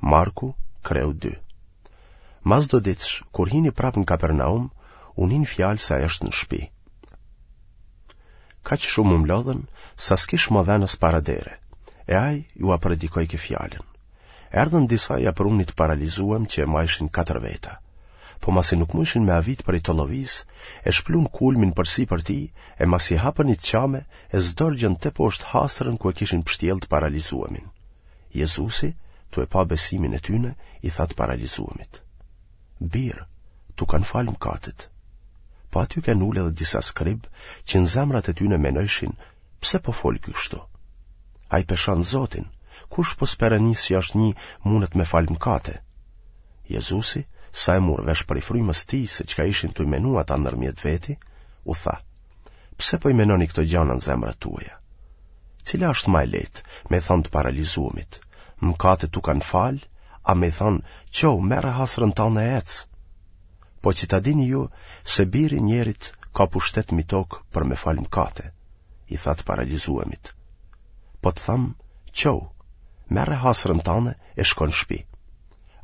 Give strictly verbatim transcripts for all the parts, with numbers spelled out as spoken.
Marku, kreu dy. Mas do ditësh, kur hini prapë në Kapernaum, u nin fjalë se ai është në shpi. Kaq shumë u mblodhën, sa s'kish ma ven as para dere, e ai jua predikojke fjalën. Erdhën disa ia prunë ni të paralizuem që e majshin katër veta. Po masi nuk mujshin me avit prej tollovisë, e shplun kulmin përsipër tij, e masi hapën një të çame, e zdërgjën teposhtë hasrën ku e kishin pshtjellë të paralizuemin. Jezusi, tu e pa besimin e tyne, i tha të paralizuemit: Bir, t'u kanë falë mëkatet. Po aty kenë ulë edhe disa skribë që në zemrat e tyne menojshin, pse po fol ky kështu? Ai pe shan Zotin, kush pos Perënisë që është një mundet me falë mëkate? Jezusi, sa e mur vesh prej frymës tij se çka ishin tuj menu ata ndërmjet veti, u tha: Pse po i menoni këto gjana në zemrat tuaja? Cila është ma e lehtë, me i thanë të paralizuemit, mëkatet t'u kanë falë, a me i thanë, çohu, merre hasrën tane e ec? Po që ta dini ju se biri i njerit ka pushtet mi tokë për me falë mëkate, i tha të paralizuemit. Po të tham, çohu, merre hasrën tane e shko në shpi.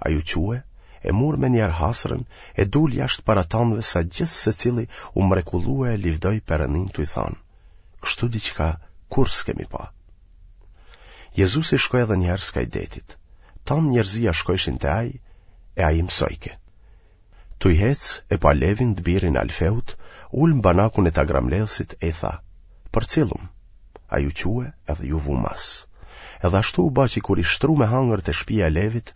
Ai u çue, e mur menjëherë hasrën, e dul jashtë para tanëve sa gjithsecili u mrekullue e livdoi Perëninë tuj thanë, kështu diçka kurrë s'kemi pa. Jezusi shkoi edhe një herë skaj detit. Tanë njerëzia shkojshin te ai, e ai i mësojke. Tuj hec e pa Levin të birin e Alfeut, ulë në banakun e tagramledhësit e i tha, përcillum. Ai u çue edhe ju vu mas. Edhe ashtu u ba që kur ish shtru me hangër te shpia e Levit,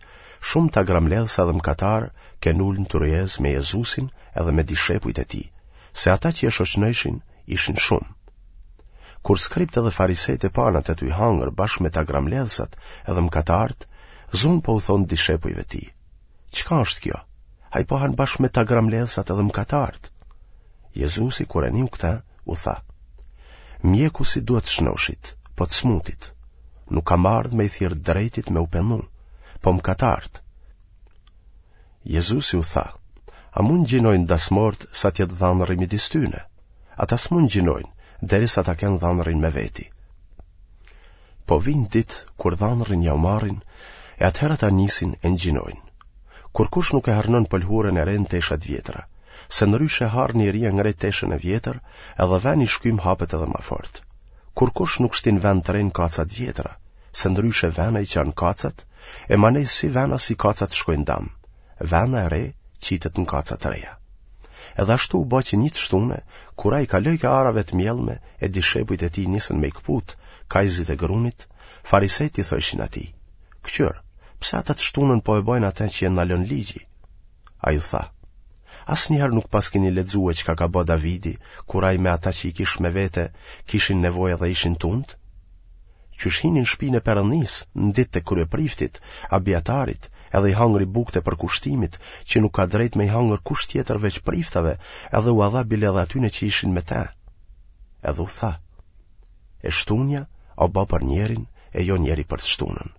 shumë tagramledhësa dhe mëkatarë kenë ulë në tryezë me Jezusin edhe me dishepujt e tij, se ata që e shoqnojshin ishin shumë. Kur skribët edhe farisejtë e panë atë tuj hangër bashkë me tagramledhësat edhe mëkatarët, zunë po u thonë dishepujve tij, çka është kjo? Ai po han bashkë me tagramledhësat edhe mëkatarët. Jezusi, kur e niu këtë, u tha, mjeku s'i duhet shnoshit, po të smutit. Nuk kam ardhë me i thirrë drejtit me u pendu, po mëkatarët. Jezusi u tha, a mund gjinojnë dasmorët sa t'jetë dhandrri midis tyne? Ata s'mund gjinojnë, derisa ta kenë dhandrrin me veti. Po vijnë ditë kur dhandrrin jau marrin, e atëherë ata nisin e ngjinojnë. Kurkush nuk e harnon pëlhurën e re në tesha të vjetra, se ndryshe harni i ri e ngre teshën e vjetër, edhe veni i shkym hapet edhe ma fort. Kurkush nuk shtin venë të re në kaca të vjetra, se ndryshe vena i çan kacat, e manej si vena si kacat shkojnë dam. Vena e re qitet në kaca të reja. Edhe ashtu u bë që një të shtune, kur ai kalojke arave të mjellme e dishepujt e tij nisën me i këput kajzit e grunit, farisejtë i thojshin atij, Këqyr, pse ata të shtunën po e bojnë atë që e ndalon ligji? Ai u tha, asnjëherë nuk paskeni lexue çka ka bë Davidi, kur ai me ata që i kish me vete kishin nevojë dhe ishin tunt? Qysh hini në shpinë e Perëndisë, në ditë të kryepriftit, Abiatarit, edhe i hangri bukët e përkushtimit, që nuk ka drejt me i hangër kush tjetër veç priftave, edhe ua dha bile edhe atyne që ishin me te. Edhe u tha, e shtunja o ba për njerin e jo njeri për të shtunën.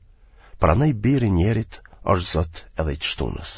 Prandaj biri i njerit është zot edhe i të shtunës.